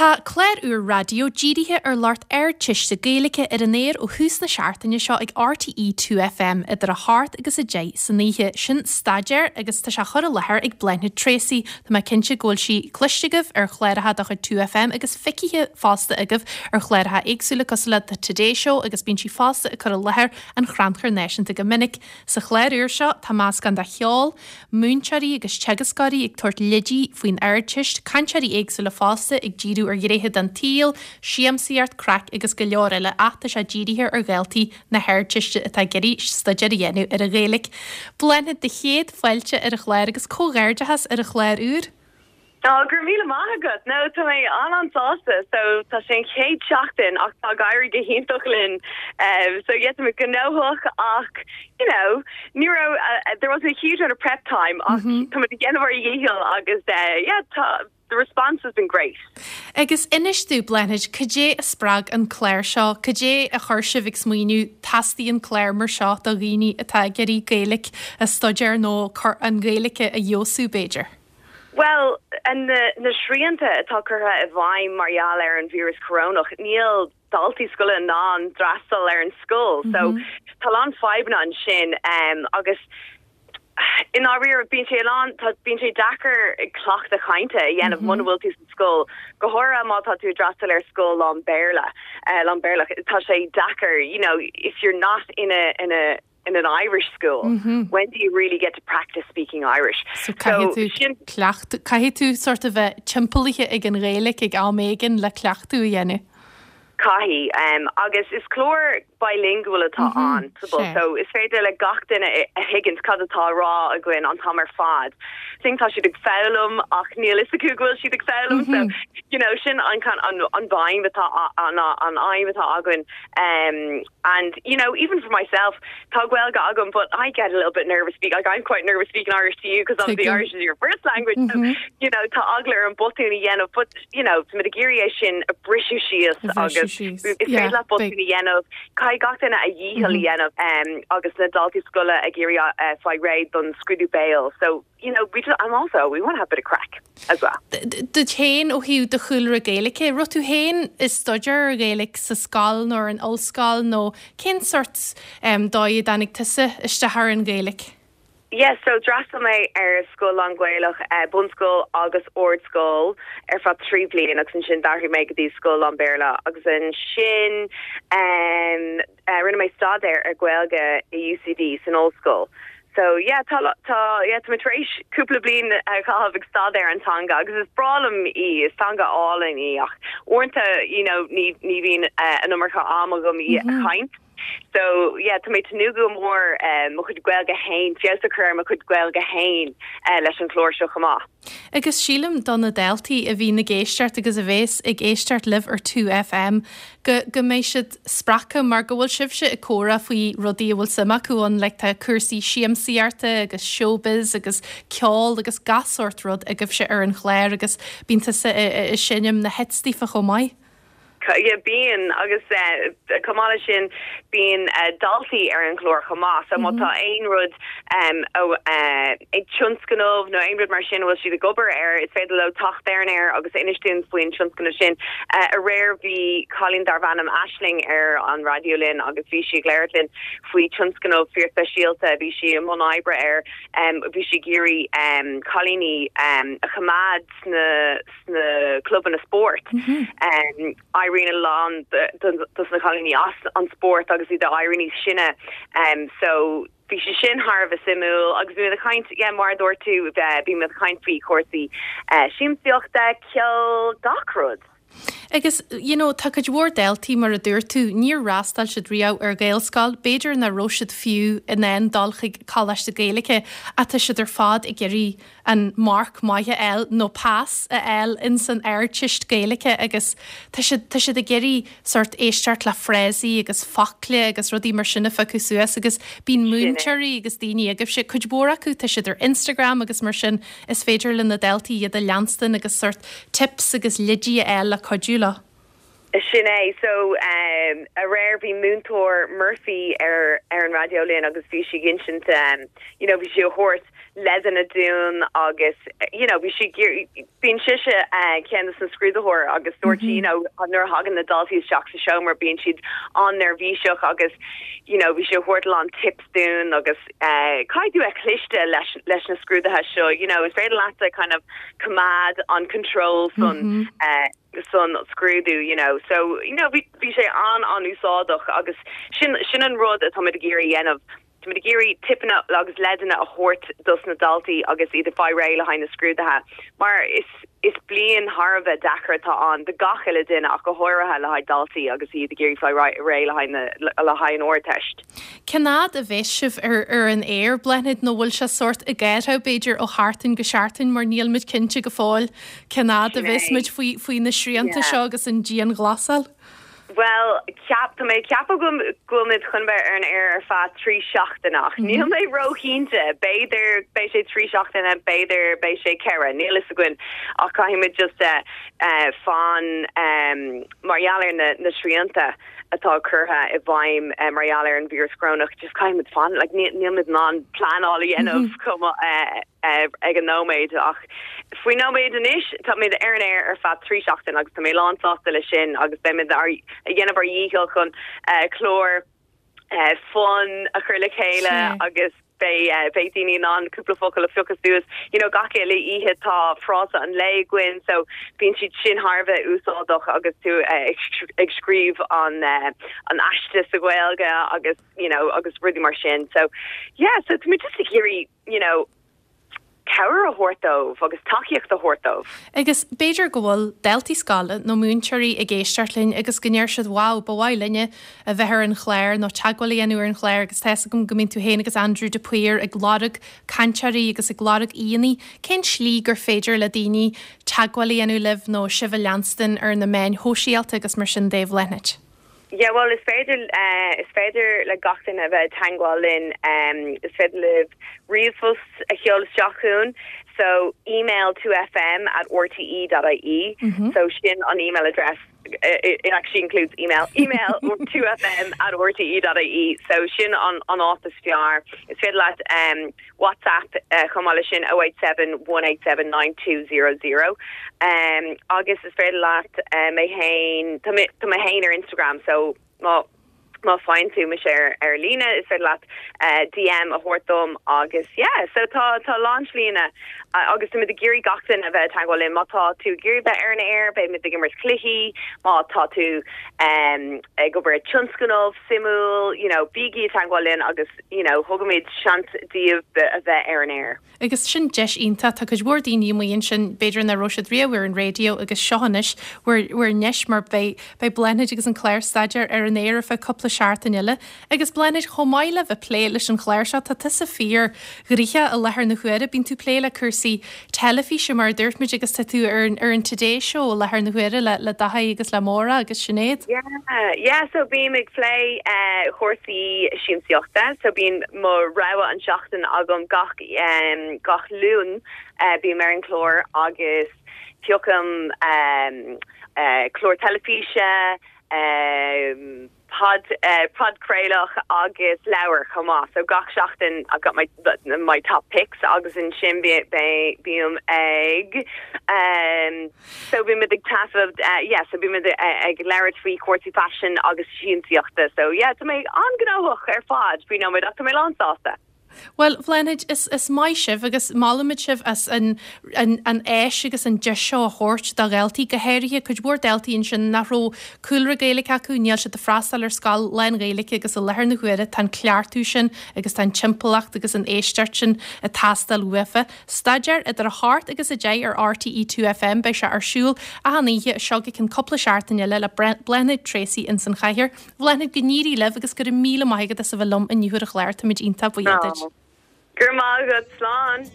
Tá clár úr raidió dírithe ar lucht Ardteiste Gaeilge ar an aer ó thús na seachtaine seo ag RTÉ 2FM idir 8 agus 10 san oíche. Sin Staidéar agus tá sé á chur i láthair ag Bláthnaid Treacy. Tá mé cinnte go bhfuil sí cloiste agaibh ar chláracha de chuid 2FM agus feicthe fosta agaibh ar chláracha éagsúla cosúil le The Today Show agus bíonn sí fosta ag cur i láthair an Chrannchuir Náisiúnta go minic. Sa chlár úr seo tá meascán de cheol, múinteoirí agus teagascóirí ag tabhairt leidí faoin Ardteist, cainteoirí éagsúla fosta ag díriú ar ghnéithe den tsaol, siamsaíocht, craic agus go leor eile ach tá sé dírithe ar dhaltaí na hArdteiste atá ag iarraidh staidéar a dhéanamh ar an Ghaeilge. Bláthnaid, do chéad fáilte ar an chlár agus comhghairdeachas ar an chlár úr! Ó, go raibh míle maith agat! No, tá mé an-an-sásta. So, tá sé an chéad seachtain ach tá ag éirí go hiontach linn. So, yeah, tá mé gnóthach ach, you know, ní raibh, there wasn't a huge amount of prep time ach tá muid ag déanamh ár dhícheall agus, yeah, tá, the response has been great. Agus inis domh, Bláthnaid, cad é a spreag an clár seo? Cad é a chuir sibh ag smaoineamh, teastaíonn clár mar seo do dhaoine atá ag iarraidh Gaeilge a staidéar nó an Ghaeilge a fheabhsú, b'fhéidir? Bhuel, na srianta atá curtha i bhfeidhm mar gheall ar an víreas corónach, níl daltaí scoile in ann d'fhreastal ar an scoil. So, tá a lán fadhbanna ansin agus i ndáiríre bíonn sé a lán, tá, bíonn sé deacair cleachtadh cainte a dhéanamh muna bhfuil tú sa scoil, go háirithe má tá tú ag d'fhreastal ar scoil lán Béarla, lán Béarlach, tá sé deacair, you know, if you're not in a, in a, in an Irish school, when do you really get to practice speaking Irish? So caithfidh tú sin cleachtadh, caithfidh tú sort of bheith timpeallaithe ag an Ghaeilge ag am éigin le cleachtadh a dhéanamh. Caithfidh. Agus is clár bilingual atá ann, so is féidir le gach duine a thuigint cad atá á rá againn an t-am ar fad. Think tá siad ag foghlaim ach níl fhios acu go bhfuil siad ag foghlaim, so you know sin an an an aidhm atá an an aidhm atá againn. And you know even for myself tá Gaeilge agam but I get a little bit nervous speak like I'm quite nervous speaking Irish to you because obviously Irish is your first language so you know tá eagla orm botún a dhéanamh but you know tá muid ag iarraidh é sin a briseadh síos agus is féidir leat botún a dhéanamh caithfidh gach duine a dhícheall a dhéanamh agus na daltaí scoile ag iarraidh fáil réidh don scrúdú béil so you know, we just, and also we want to have a bit of craic as well. Duit féin ó thaobh do chúlra Gaeilge, raibh tú féin ag staidéar ar Ghaeilge sa scoil nó ar an ollscoil nó cén sort dóigh a dtáinig tusa isteach ar an Ghaeilge? Yeah, so d'fhreastail mé ar scoil lán-Ghaelach, bunscoil agus ardscoil ar feadh 3 bliain agus ansin d'athraigh mé go dtí scoil lán-Bhéarla agus ansin Rinne mé staidéar ar Gaeilge i UCD san ollscoil. So yeah, tá tá yeah tá mé tar éis cúpla bliain a chaitheamh ag staidéar an teanga agus is breá liom í, is teanga álainn í ach uaireanta you know ní ní bhíonn an iomarca am agam í a chaint. So yeah, tá mé ag tnúth go mór mo chuid Gaeilge féin, feabhas a chur ar mo chuid Gaeilge féin leis an chlár seo chomh maith. Agus sílim do na daltaí a bhíonn ag éisteacht agus a bhéas ag éisteacht libh ar 2FM go go mbeidh siad spreagtha mar go bhfuil sibhse ag comhrá faoi rudaí a bhfuil suim acu ann like tá cúrsaí siamsaíochta agus showbiz agus ceol agus gach sórt rud agaibhse ar an chlár agus bíonn tusa ag seinm na hits daofa chomh maith. Yeah, bíonn, agus chomh maith leis sin, bíonn daltaí ar an chlár chomh maith. So má tá aon rud ag tionscnamh nó aon rud mar sin a bhfuil siad ag obair air, is féidir leo teacht ar an aer agus inis dúinn faoin tionscnamh sin. Aréir bhí cailín darbh ainm Aisling ar an raidió linn agus bhí sí ag labhairt linn faoi tionscnamh fíorspeisialta a bhí sí i mbun oibre air. Bhí sí ag iarraidh cailíní a choimeád sna sna clubanna spóirt. Éiríonn a lán dos na cailíní as an spórt agus iad ag éirí níos sine. So bhí sé sin thar a bheith suimiúil agus bhí muid ag caint, yeah, mar a dúirt tú, bhí muid ag caint faoi chúrsaí siamsaíochta, ceol, gach rud. Agus, you know, tá cuid mhór daltaí, mar a dúirt tú, níor fhreastail siad riamh ar Ghaelscoil, b'fhéidir nach raibh siad fiú in ann dul chuig coláiste Gaeilge ach tá siad ar fad ag iarraidh an marc maith a fháil nó pas a fháil ins an Ardteist Gaeilge agus tá siad, tá siad ag iarraidh sórt éisteacht le frásaí agus focla agus rudaí mar sin a phiocadh suas agus bíonn múinteoirí agus daoine agaibhse, cuid mhór acu, tá siad ar Instagram agus mar sin is féidir le na daltaí iad a leanstan agus sórt tips agus leidí a fháil le cuidiú leo. Sin é. So, aréir bhí múinteoir Murphy ar ar an raidió linn agus bhí sí ag insint, you know, bhí sí a thabhairt. leideanna dúinn agus you know bhí sí ag iarraidh, bíonn sise ceann de na scrúdaitheoir agus dúirt sí you know nuair a thagann na daltaí isteach sa seomra bíonn siad an-neirbhíseach agus you know bhí sí ag thabhairt a lán tips dúinn agus caithfidh tú bheith cliste leis leis na scrúduithe seo you know is féidir leatsa kind of coimeád an control san san scrúdú you know so you know bhí bhí sé an an-úsáideach agus sin sin an rud atáimid ag iarraidh a dhéanamh Táimid ag iarraidh tipeanna agus leideanna a thabhairt dos na daltaí agus iad ag fáil réidh le haghaidh na scrúduithe mar is is bliain thar a bheith deacair atá ann do gach uile duine ach go háirithe le haghaidh daltaí agus iad ag iarraidh fáil réidh le haghaidh na le haghaidh an Ardteist. Cén fhad a bheas sibh ar ar an aer, Bláthnaid, nó bhfuil sé sórt ag athrú b'fhéidir ó sheachtain go seachtain mar níl muid cinnte go fóill cén fhad a bheas muid faoi faoi na srianta seo agus an dianghlasáil? Bhuel, ceap, tá mé ag ceapadh go bhfuil muid chun bheith ar an aer ar feadh 3 seachtaine ach níl mé róchinnte. B'fhéidir beidh sé 3 seachtaine, b'fhéidir beidh sé 4, níl fhios againn ach caithfidh muid just fan mar gheall ar na srianta atá curtha i bhfeidhm mar gheall ar an víreas corónach, just caithfidh muid fan, like níl muid in ann pleanáil a dhéanamh chomh maith. ag an nóiméad ach faoin nóiméad anois táimid ar an aer ar feadh 3 seachtain agus tá mé lán sásta leis sin agus beimid ag déanamh ár dhícheall chun clár fun a chur le chéile agus beidh beidh daoine in ann cúpla focal a phiocadh suas. You know gach uile oíche tá frása an lae againn so bíonn siad sin thar a bheith úsáideach agus tú ag scríobh an an aiste sa Ghaeilge agus you know agus rudaí mar sin. So yeah so tá muid just ag iarraidh you know, cabhair a thabhairt dóibh agus tacaíocht a thabhairt dóibh. Agus b'fhéidir go bhfuil daltaí scoile nó múinteoirí ag éisteacht linn agus go ndeir siad wow, ba mhaith linne a bheith ar an chlár nó teagmháil a dhéanamh ar an chlár agus tá fhios agam go mbíonn tú féin agus Andrew de Paor ag lorg cainteoirí agus ag lorg aíonna. Cén slí gur féidir le daoine teagmháil a dhéanamh libh nó sibh a leanstan ar na meáin shóisialta agus mar sin de, a Bhláthnaid? Yeah bhuel is féidir is féidir le gach duine a bheith i dteangmháil linn is féidir libh ríomhphost a sheoladh isteach chugainn so email 2fm at rte dot ie so sin an email address it actually includes email email 2fm at rte dot ie so sin an an áit is fearr is féidir leat WhatsApp chomh maith leis sin 087 187 9200 agus is féidir leat mé féin tá mé tá mé féin ar Instagram so má má faigheann tú mise ar ar líne is féidir leat DM a thabhairt dom agus yeah so tá tá a lán slíanna agus tá muid ag iarraidh gach duine a bheith i dteagmháil linn má tá tú ag iarraidh bheith ar an aer beidh muid ag imirt cluichí má tá tú ag obair ar tionscnamh suimiúil you know bígí i dteagmháil linn agus you know, thugaimid seans daoibh a bheith ar an aer. Agus sin deis iontach, tá cuid mhór daoine amuigh ansin, b'fhéidir nach raibh siad riamh ar an raidió agus seo anois bhur, bhur ndeis mar beidh, beidh Bláthnaid agus an clár staidéar ar an aer ar feadh cúpla seachtain eile. Agus Bláthnaid, chomh maith le bheith plé leis an chlár seo, tá tusa fíor ghnoitheach i láthair na huaire, bíonn tú plé le cúrsaí teilifíse mar a dúirt muid agus tá tú ar, ar an Today Show i láthair na huaire le, le Daithí agus le Máire agus Sinéad. Yeah, yeah, so bím ag plé chúrsaí siamsaíochta, so bíonn mo rogha an seachtain agam gach gach Luan bím ar an chlár agus piocaim clár teilifíse, pod podchraoladh agus leabhar chomh maith. So gach seachtain I've got my my top picks agus ansin bím ag so bímid ag taifead yeah so bímid ag labhairt faoi chúrsaí faisin agus siamsaíochta. So yeah tá mé an-ghnóthach ar fad faoi nóiméad ach tá mé lán sásta. Bhuel, Bhláthnaid, is, is maith sibh agus molaimid sibh as an, an, an áis agus an deis seo a thabhairt do dhaltaí, go háirithe cuid mhór daltaí ansin nach raibh cúlra Gaeilge acu, níl siad ag freastal ar scoil lán-Ghaeilge agus i láthair na huaire tá an cleachtadh sin agus tá an timpeallacht agus an éisteacht sin ag teastáil uafa. Staidéar idir 8 agus 10 ar RTÉ 2FM, beidh sé ar siúl achan oíche as seo go ceann cúpla seachtain eile le Bláthnaid Treacy ins an chathaoir. Bhláthnaid, go n-éirí libh agus go raibh míle maith agat as a bheith liom inniu ar an chlár, táimid iontach buíoch duit. Go raibh maith agat, slán!